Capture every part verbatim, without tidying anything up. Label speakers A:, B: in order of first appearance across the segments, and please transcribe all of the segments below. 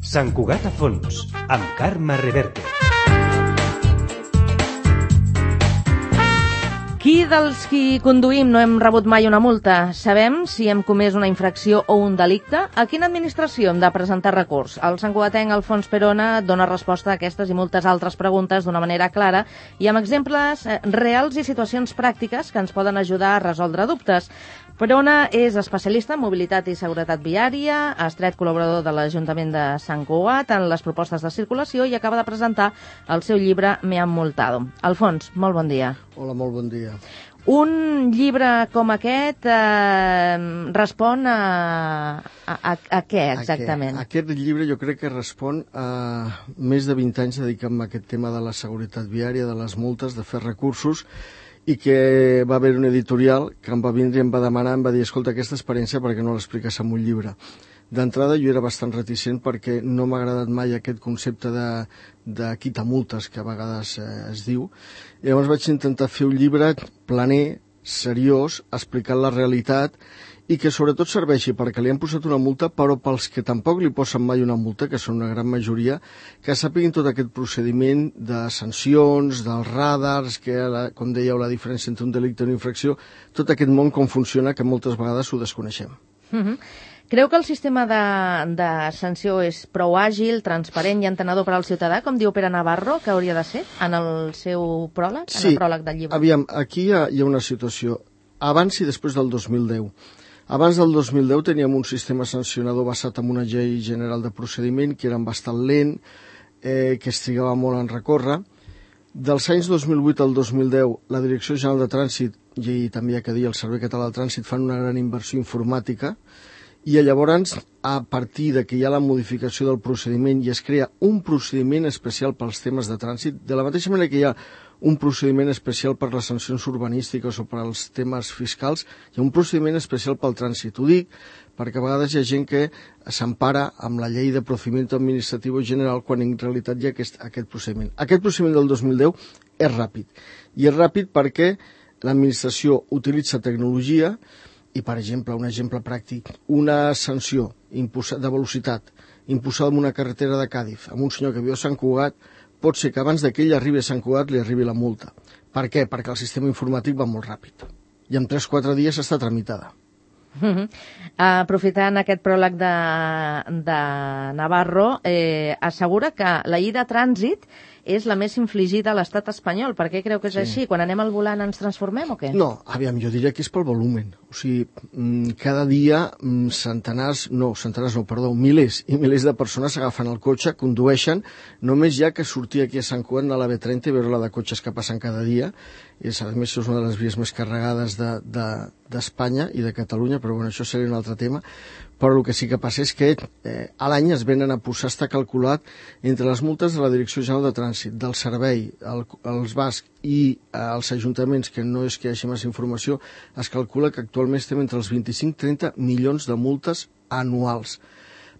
A: Sant Cugat a fons, amb Carme Reverte.
B: Qui dels qui conduïm no hem rebut mai una multa? Sabem si hem comès una infracció o un delicte? A quina administració hem de presentar recurs? El santcugatenc Alfons Perona dona resposta a aquestes i moltes altres preguntes d'una manera clara i amb exemples reals i situacions pràctiques que ens poden ajudar a resoldre dubtes. Perona és especialista en mobilitat i seguretat viària, estret col·laborador de l'Ajuntament de Sant Cugat en les propostes de circulació i acaba de presentar el seu llibre Me han multado. Alfons, molt bon dia.
C: Hola, molt bon dia.
B: Un llibre com aquest eh, respon a, a, a, a què exactament?
C: A què? Aquest llibre jo crec que respon a més de vint anys dedicant a aquest tema de la seguretat viària, de les multes, de fer recursos, i que va haver un editorial que em va vindre i em va demanar, em va dir, escolta, aquesta experiència perquè no l'expliques en un llibre. D'entrada jo era bastant reticent perquè no m'ha agradat mai aquest concepte de, de quitamultes que a vegades eh, es diu. I llavors vaig intentar fer un llibre planer, seriós, explicant la realitat i que sobretot serveixi perquè li han posat una multa, però pels que tampoc li posen mai una multa, que són una gran majoria, que sàpiguin tot aquest procediment de sancions, dels radars, que la, com dèieu, la diferència entre un delicte i una infracció, tot aquest món com funciona, que moltes vegades ho desconeixem.
B: Mm-hmm. Creu que el sistema de, de sanció és prou àgil, transparent i entenedor per al ciutadà, com diu Pere Navarro, que hauria de ser en el seu pròleg,
C: sí,
B: en el pròleg del llibre?
C: Aviam, aquí hi ha, hi ha una situació, abans i després del dos mil deu. Abans del dos mil deu teníem un sistema sancionador basat en una llei general de procediment que era bastant lent, eh, que es trigava molt en recórrer. Dels anys dos mil vuit al dos mil deu, la Direcció General de Trànsit i també hi ha que dir el Servei Català del Trànsit fan una gran inversió informàtica i llavors, a partir de que hi ha la modificació del procediment i es crea un procediment especial pels temes de trànsit, de la mateixa manera que hi ha un procediment especial per les sancions urbanístiques o per als temes fiscals, hi ha un procediment especial pel trànsit. Ho dic perquè a vegades hi ha gent que s'empara amb la llei de procediment administratiu general quan en realitat hi ha aquest, aquest procediment. Aquest procediment del dos mil deu és ràpid. I és ràpid perquè l'administració utilitza tecnologia i, per exemple, un exemple pràctic, una sanció de velocitat imposada en una carretera de Càdiz amb un senyor que viu a Sant Cugat, pot ser que abans que ell arribi a Sant Cugat li arribi la multa. Per què? Perquè el sistema informàtic va molt ràpid. I en tres o quatre dies està tramitada.
B: Uh-huh. Aprofitant aquest pròleg de, de Navarro, eh, assegura que la llei de trànsit és la més infligida a l'estat espanyol. Per què creu que és sí. així? Quan anem al volant ens transformem o què?
C: No, aviam, jo diria que és pel volumen. O sigui, cada dia centenars, no, centenars no, perdó, milers i milers de persones agafen el cotxe, condueixen, només hi ha que sortir aquí a Sant Cugat a la B trenta i veure la de cotxes que passen cada dia. És, a més, és una de les vies més carregades d'Espanya de, de, i de Catalunya, però bueno, això seria un altre tema. Però el que sí que passa és que eh, a l'any es venen a posar, està calculat, entre les multes de la Direcció General de Trànsit, del Servei, el, els bascs i eh, els ajuntaments, que no és que hi hagi més informació, es calcula que actualment estem entre els vint-i-cinc i trenta milions de multes anuals.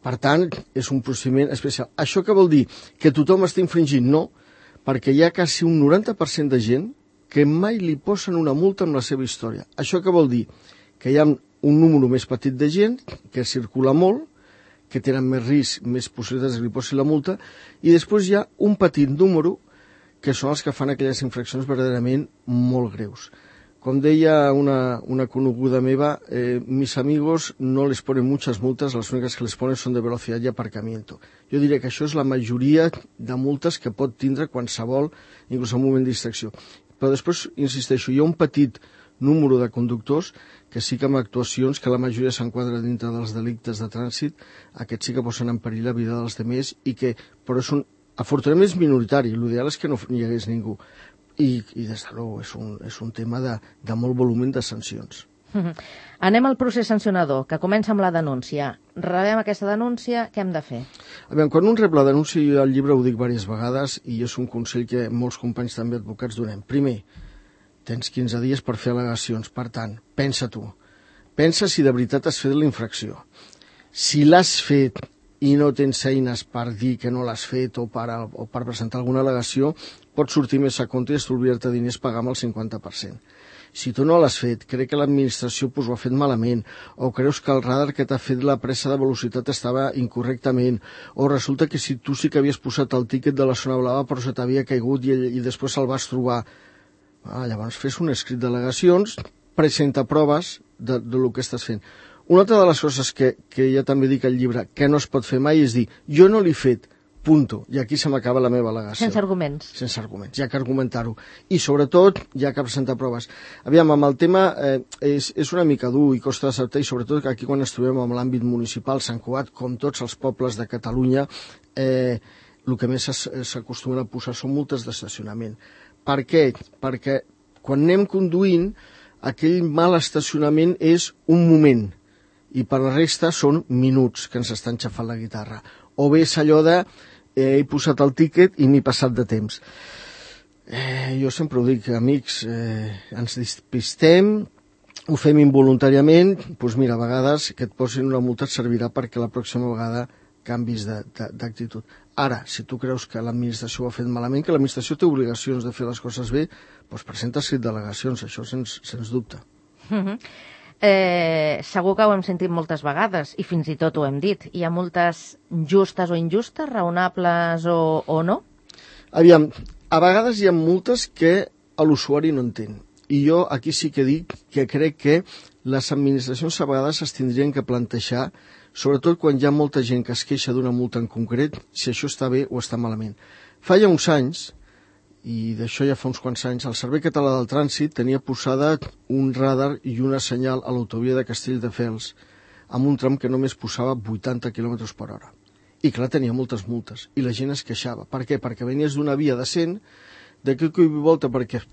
C: Per tant, és un procediment especial. Això què vol dir? Que tothom està infringint? No, perquè hi ha quasi un noranta per cent de gent que mai li posen una multa amb la seva història. Això què vol dir? Que hi ha un número més petit de gent que circula molt, que tenen més risc, més possibilitats que li posin la multa, i després hi ha un petit número que són els que fan aquelles infraccions verdaderament molt greus. Com deia una, una coneguda meva, eh, mis amigos no les ponen muchas multas, las únicas que les ponen són de velocidad y aparcamiento. Jo diria que això és la majoria de multes que pot tindre qualsevol, inclús en un moment de distracció. Però després, insisteixo, hi ha un petit número de conductors que sí que amb actuacions que la majoria s'enquadra dintre dels delictes de trànsit, aquests sí que posen en perill la vida dels demés i que, però és un, afortunadament és minoritari, l'ideal és que no hi hagués ningú i, i des de nou és un, és un tema de, de molt volumen de sancions.
B: Uh-huh. Anem al procés sancionador, que comença amb la denúncia. Rebem aquesta denúncia, què hem de fer?
C: A veure, quan un rep la denúncia, jo al llibre ho dic diverses vegades i és un consell que molts companys també advocats donem. Primer, tens quinze dies per fer al·legacions, per tant, pensa tu. Pensa si de veritat has fet la infracció. Si l'has fet i no tens eines per dir que no l'has fet o per, o per presentar alguna al·legació, pots sortir més a compte i estalviar-te diners pagar amb el cinquanta per cent. Si tu no l'has fet, crec que l'administració pues, ho ha fet malament, o creus que el radar que t'ha fet la pressa de velocitat estava incorrectament, o resulta que si tu sí que havies posat el tíquet de la zona blava però se t'havia caigut i, i després se'l vas trobar. Ah, llavors fes un escrit d'al·legacions, presenta proves de, de lo que estàs fent. Una altra de les coses que, que ja també dic al llibre que no es pot fer mai és dir jo no l'he fet, punto, i aquí se m'acaba la meva al·legació.
B: Sense arguments.
C: Sense arguments, hi ha que argumentar-ho. I sobretot hi ha que presentar proves. Aviam, amb el tema eh, és, és una mica dur i costa d'acceptar, i sobretot que aquí quan ens trobem en l'àmbit municipal, Sant Cugat, com tots els pobles de Catalunya, eh, el que més s'acostumen a posar són multes d'estacionament. Per què? Perquè quan anem conduint, aquell mal estacionament és un moment, i per la resta són minuts que ens estan xafant la guitarra. O bé és allò de eh, he posat el tíquet i m'he passat de temps. Eh, jo sempre ho dic, amics, eh, ens despistem, ho fem involuntàriament, doncs mira, a vegades que et posin una multa et servirà perquè la pròxima vegada canvis d'actitud. Ara, si tu creus que l'administració ho ha fet malament, que l'administració té obligacions de fer les coses bé, doncs presenta escrit d'al·legacions, això sens, sens dubte.
B: Mm-hmm. Eh, segur que ho hem sentit moltes vegades i fins i tot ho hem dit. Hi ha multes justes o injustes, raonables o, o no?
C: Aviam, a vegades hi ha multes que l'usuari no entén. I jo aquí sí que dic que crec que les administracions a vegades es tindrien que plantejar, sobretot quan hi ha molta gent que es queixa d'una multa en concret, si això està bé o està malament. Fa ja uns anys, i d'això ja fa uns quants anys, el Servei Català del Trànsit tenia posada un radar i una senyal a l'autovia de Castelldefels amb un tram que només posava vuitanta quilòmetres per hora. I clar, tenia moltes multes, i la gent es queixava. Per què? Perquè venies d'una via de cent, d'aquí que hi volta perquè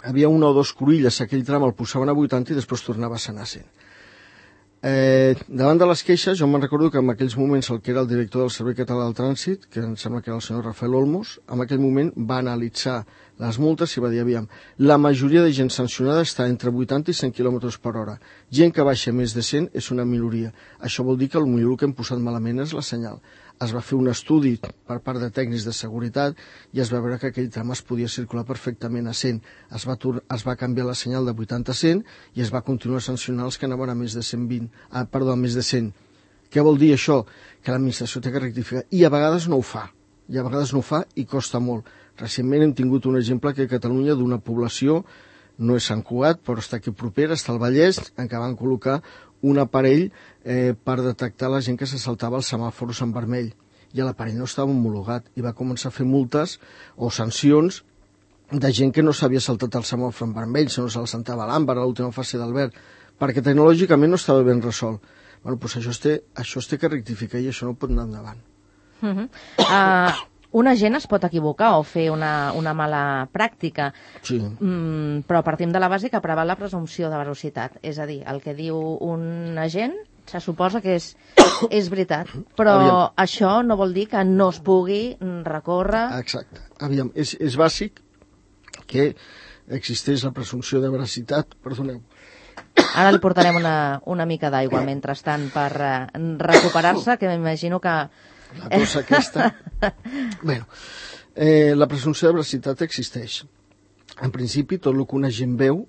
C: havia una o dos cruïlles, aquell tram el posaven a vuitanta i després tornava a anar a cent. Eh, davant de les queixes, jo me'n recordo que en aquells moments el que era el director del Servei Català del Trànsit, que em sembla que era el senyor Rafael Olmos, en aquell moment va analitzar les multes i va dir, aviam, la majoria de gent sancionada està entre vuitanta i cent quilòmetres per hora. Gent que baixa més de cent és una minoria. Això vol dir que el millor que hem posat malament és la senyal. Es va fer un estudi per part de tècnics de seguretat i es va veure que aquell tram es podia circular perfectament a cent. Es va, es va canviar la senyal de vuitanta a cent i es va continuar sancionant els que anaven a més de cent vint, ah, perdó, a més de cent. Què vol dir això? Que l'administració té que rectificar. I a vegades no ho fa. I a vegades no ho fa i costa molt. Recentment hem tingut un exemple que a Catalunya d'una població, no és Sant Cugat, però està aquí propera, està al Vallès, en què van col·locar un aparell eh, per detectar la gent que se saltava els semàfors en vermell. I l'aparell no estava homologat i va començar a fer multes o sancions de gent que no s'havia saltat el semàfor en vermell, sinó se'l saltava a l'àmbar, a l'última fase del verd, perquè tecnològicament no estava ben resolt. Bueno, doncs això es té, això es té que rectificar i això no pot anar endavant.
B: Uh-huh. uh... Una gent es pot equivocar o fer una, una mala pràctica,
C: sí.
B: mm, però partim de la base que preval la presumpció de veracitat. És a dir, el que diu un agent se suposa que és, és veritat, però Aviam. Això no vol dir que no es pugui recórrer...
C: Exacte. Aviam, és, és bàsic que existeix la presumpció de veracitat. Perdoneu.
B: Ara li portarem una, una mica d'aigua mentrestant per uh, recuperar-se, que m'imagino que...
C: La cosa aquesta... Bé, eh, la presumpció de veracitat existeix. En principi, tot el que una gent veu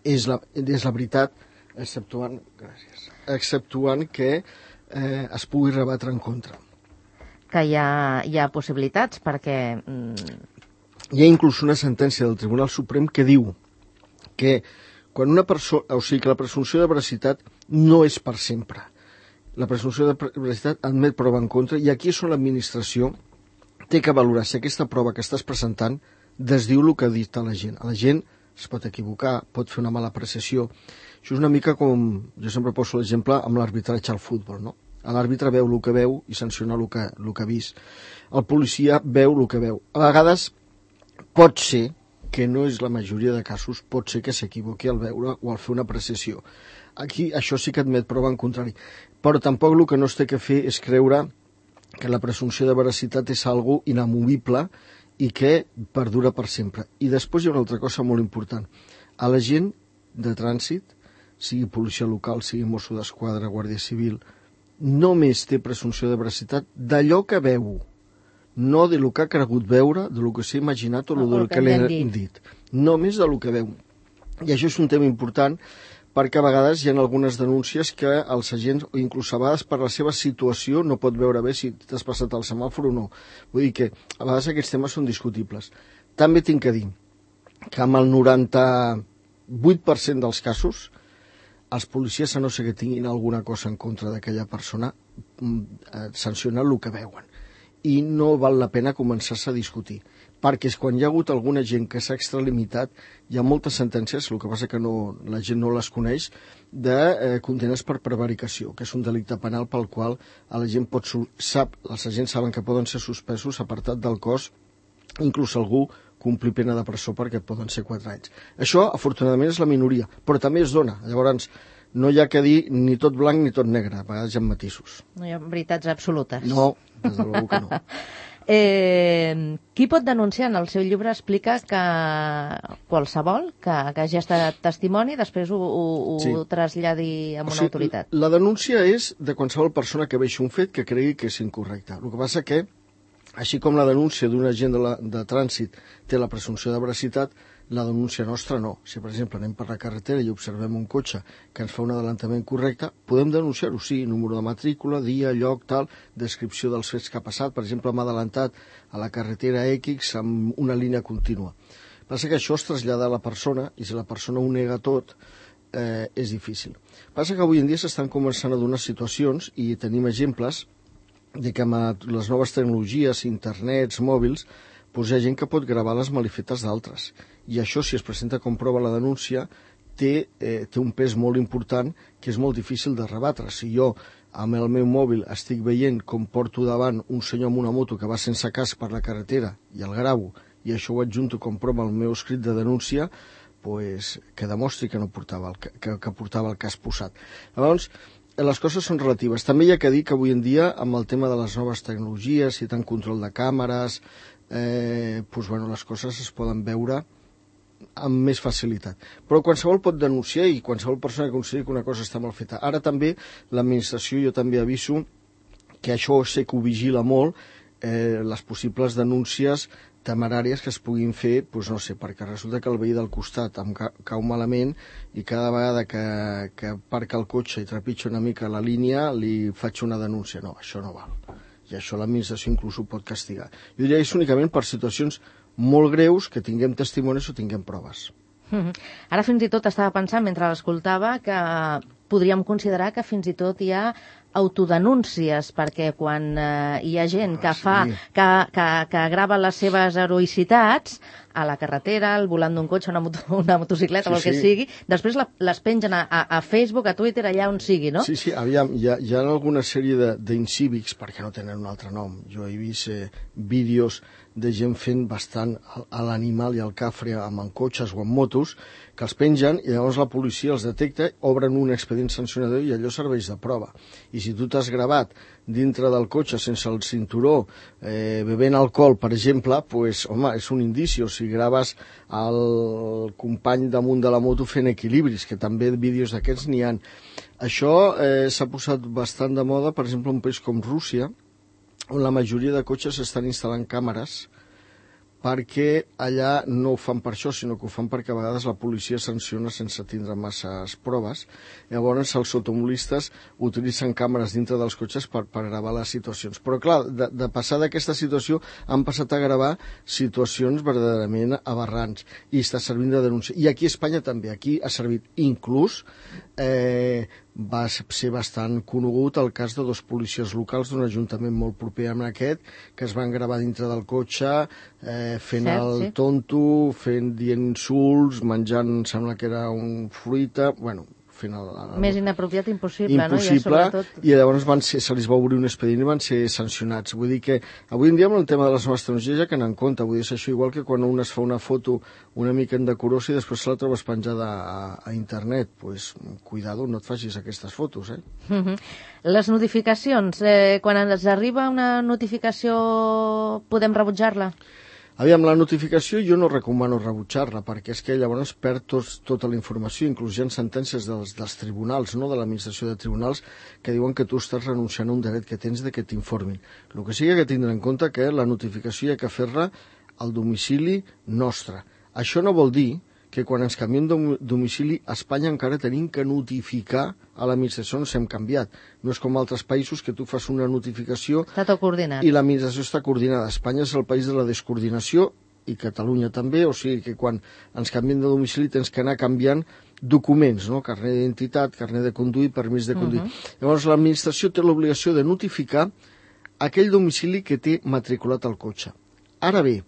C: és la, és la veritat, exceptuant, gràcies, exceptuant que eh, es pugui rebatre en contra.
B: Que hi ha, hi ha possibilitats, perquè... Mm...
C: Hi ha inclús una sentència del Tribunal Suprem que diu que quan una persona... O sigui, que la presumpció de veracitat no és per sempre. La presumpció de veracitat admet prova en contra i aquí és on l'administració té que valorar si aquesta prova que estàs presentant desdiu el que ha dit a la gent. A la gent es pot equivocar, pot fer una mala apreciació. Això és una mica com, jo sempre poso l'exemple amb l'arbitratge al futbol, no? L'àrbitre veu el que veu i sanciona el que, el que ha vist. El policia veu el que veu. A vegades pot ser, que no és la majoria de casos, pot ser que s'equivoqui al veure o al fer una apreciació. Aquí això sí que admet prova en contrari. Però tampoc el que no es té que fer és creure que la presumpció de veracitat és algo inamovible i que perdura per sempre. I després hi ha una altra cosa molt important. A la gent de trànsit, sigui policia local, sigui Mosso d'Esquadra, Guàrdia Civil, només té presumpció de veracitat d'allò que veu, no de lo que ha cregut veure, de lo que s'ha imaginat o no, de lo que, que li han dit. dit. Només de lo que veu. I això és un tema important perquè a vegades hi ha algunes denúncies que els agents, o inclús a vegades per la seva situació, no pot veure bé si t'has passat el semàfor o no. Vull dir que a vegades aquests temes són discutibles. També tinc que dir que amb el noranta-vuit per cent dels casos, els policies, a no ser que tinguin alguna cosa en contra d'aquella persona, sancionen el que veuen. I no val la pena començar-se a discutir, perquè és quan hi ha hagut alguna gent que s'ha extralimitat, hi ha moltes sentències, el que passa que no, la gent no les coneix, de eh, condenes per prevaricació, que és un delicte penal pel qual a la gent pot, sap, els agents saben que poden ser suspesos, apartat del cos, inclús algú complir pena de presó perquè poden ser quatre anys. Això, afortunadament, és la minoria, però també es dona. Llavors, no hi ha que dir ni tot blanc ni tot negre, a vegades hi ha matisos.
B: No hi ha veritats absolutes.
C: No, des de l'algú que no.
B: eh, qui pot denunciar? En el seu llibre explica que qualsevol que, que hagi estat testimoni després ho, ho, ho sí. traslladi amb o una sigui, autoritat.
C: La denúncia és de qualsevol persona que vegi un fet que cregui que és incorrecte. El que passa que, així com la denúncia d'un agent de, la, de trànsit té la presumpció de veracitat, la denúncia nostra no. Si, per exemple, anem per la carretera i observem un cotxe que ens fa un adelantament correcte, podem denunciar-ho, sí, número de matrícula, dia, lloc, tal, descripció dels fets que ha passat. Per exemple, m'ha adelantat a la carretera X amb una línia contínua. Passa que això es trasllada a la persona, i si la persona ho nega tot, eh, és difícil. Passa que avui en dia s'estan començant a donar situacions, i tenim exemples, de que amb les noves tecnologies, internets, mòbils, doncs hi ha gent que pot gravar les malifetes d'altres. I això, si es presenta com prova la denúncia, té, eh, té un pes molt important que és molt difícil de rebatre. Si jo, amb el meu mòbil, estic veient com porto davant un senyor amb una moto que va sense casc per la carretera i el gravo, i això ho adjunto com prova al meu escrit de denúncia, pues, que demostri que no portava el, que, que portava el casc posat. Llavors, les coses són relatives. També hi ha que dir que avui en dia, amb el tema de les noves tecnologies i tant control de càmeres, eh, doncs, bueno, les coses es poden veure amb més facilitat. Però qualsevol pot denunciar i qualsevol persona que consideri que una cosa està mal feta. Ara també l'administració, jo també aviso que això sé que ho vigila molt, eh, les possibles denúncies temeràries que es puguin fer, doncs no sé, perquè resulta que el veí del costat em ca cau malament i cada vegada que, que aparca el cotxe i trepitja una mica la línia li faig una denúncia. No, això no val. I això l'administració inclús ho pot castigar. Jo diria que és únicament per situacions molt greus que tinguem testimonis o tinguem proves.
B: Mm-hmm. Ara fins i tot estava pensant, mentre l'escoltava, que podríem considerar que fins i tot hi ha autodenúncies, perquè quan eh, hi ha gent que, fa, sí. que, que, que grava les seves heroïcitats a la carretera, al volant d'un cotxe, una, moto, una motocicleta, sí, o el que sí. sigui, després la, les pengen a, a Facebook, a Twitter, allà on sigui, no?
C: Sí, sí, aviam, hi ha, hi ha alguna sèrie d'incívics, perquè no tenen un altre nom. Jo he vist eh, vídeos de gent fent bastant a l'animal i al cafre amb en cotxes o amb motos, que els pengen i llavors la policia els detecta, obren un expedient sancionador i allò serveix de prova. I si tu t'has gravat dintre del cotxe sense el cinturó, eh, bevent alcohol, per exemple, pues, home, és un indici. O si graves el company damunt de la moto fent equilibris, que també vídeos d'aquests n'hi ha. Això eh, s'ha posat bastant de moda, per exemple, en un país com Rússia, on la majoria de cotxes estan instal·lant càmeres, perquè allà no ho fan per això, sinó que ho fan perquè a vegades la policia sanciona sense tindre masses proves. Llavors els automobilistes utilitzen càmeres dintre dels cotxes per, per gravar les situacions. Però clar, de, de passar d'aquesta situació han passat a gravar situacions verdaderament aberrants i està servint de denúncia. I aquí a Espanya també, aquí ha servit inclús eh, va ser bastant conegut el cas de dos policies locals d'un ajuntament molt proper amb aquest, que es van gravar dintre del cotxe eh, fent Cert, el sí. tonto, fent dient insults, menjant, sembla que era un fruita, bueno, fent el, el,
B: més inapropiat impossible,
C: impossible,
B: no? I, sobretot...
C: i llavors van ser, se li va obrir un expedient i van ser sancionats. Vull dir que avui en dia amb el tema de les noves tecnologies ja que n'en compte, vull dir, és això igual que quan un es fa una foto una mica indecorosa i després se la trobes penjada a, a internet, doncs pues, cuidado, no et facis aquestes fotos, eh?
B: Mm-hmm. Les notificacions, eh, quan ens arriba una notificació podem rebutjar-la?
C: Aviam, la notificació jo no recomano rebutjar-la, perquè és que llavors perd tot, tota la informació, inclús hi ha sentències dels, dels tribunals, no? De l'administració de tribunals, que diuen que tu estàs renunciant a un dret que tens de que t'informin. El que sigui que tindre en compte que la notificació hi ha que fer-la al domicili nostre. Això no vol dir que quan ens canviem de domicili, a Espanya encara tenim que notificar a l'administració on s'hem canviat. No és com altres països que tu fas una notificació
B: Està tot coordinat.
C: i l'administració està coordinada. Espanya és el país de la descoordinació, i Catalunya també, o sigui que quan ens canviem de domicili tens que anar canviant documents, no? Carnet d'identitat, carnet de conduir, permís de conduir. Uh-huh. Llavors l'administració té l'obligació de notificar aquell domicili que té matriculat el cotxe. Ara bé,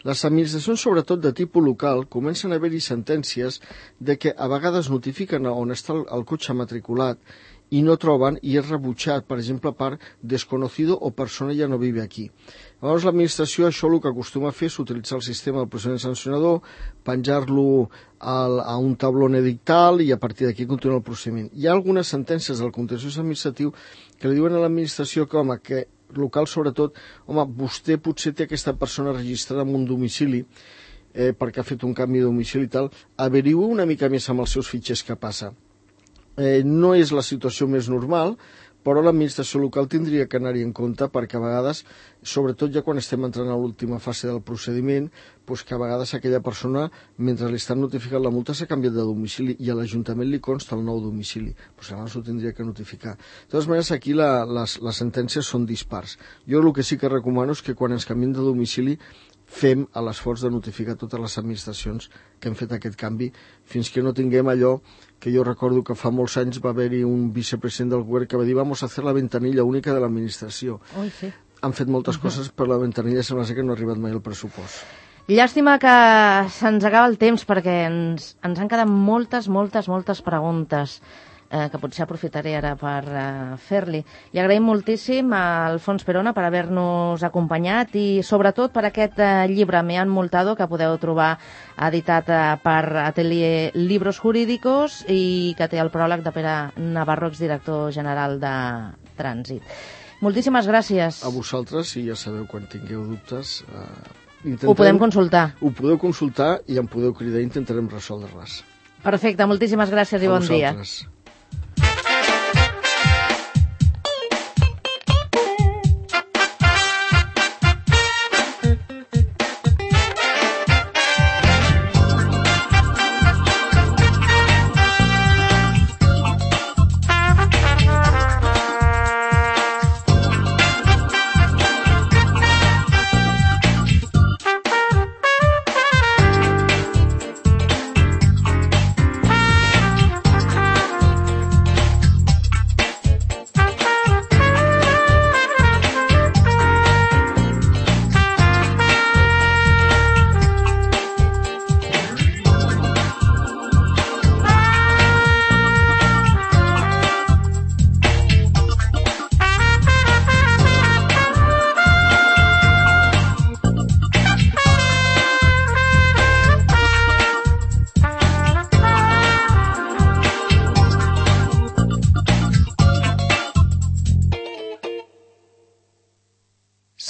C: les administracions, sobretot de tipus local, comencen a haver-hi sentències de que a vegades notifiquen on està el, el cotxe matriculat i no troben i és rebutjat, per exemple, per desconocido o persona ja no vive aquí. Llavors l'administració això el que acostuma a fer és utilitzar el sistema del procediment sancionador, penjar-lo a un tablón edictal i a partir d'aquí continuar el procediment. Hi ha algunes sentències del contenciós administratiu que li diuen a l'administració que, home, que local sobretot, home, vostè potser té aquesta persona registrada en un domicili eh, perquè ha fet un canvi de domicili i tal, averiu una mica més amb els seus fitxers què passa. Eh, no és la situació més normal, però l'administració local tindria que anar-hi en compte perquè a vegades, sobretot ja quan estem entrant a l'última fase del procediment, doncs que a vegades aquella persona, mentre li estan notificant la multa, s'ha canviat de domicili i a l'Ajuntament li consta el nou domicili. Doncs abans ho tindria que notificar. De totes maneres, aquí la, les, les sentències són dispars. Jo el que sí que recomano és que quan ens canviem de domicili fem l'esforç de notificar totes les administracions que hem fet aquest canvi fins que no tinguem allò que jo recordo que fa molts anys va haver-hi un vicepresident del govern que va dir vamos a hacer la ventanilla única de l'administració.
B: Ui, sí.
C: Han fet moltes uh-huh. coses, però la ventanilla sembla que no ha arribat mai al pressupost.
B: Llàstima que se'ns acaba el temps perquè ens, ens han quedat moltes, moltes, moltes preguntes eh, que potser aprofitaré ara per eh, fer-li. Li agraïm moltíssim a Alfons Perona per haver-nos acompanyat i sobretot per aquest eh, llibre Me han multado que podeu trobar editat eh, per Atelier Libros Jurídicos i que té el pròleg de Pere Navarro, exdirector general de Trànsit. Moltíssimes gràcies.
C: A vosaltres, i ja sabeu, quan tingueu dubtes... Eh,
B: ho podem consultar.
C: Ho podeu consultar i em podeu cridar i intentarem resoldre-les.
B: Perfecte, moltíssimes gràcies i bon dia. A vosaltres.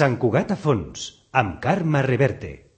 A: Sant Cugat a fons, amb Carme Reverte.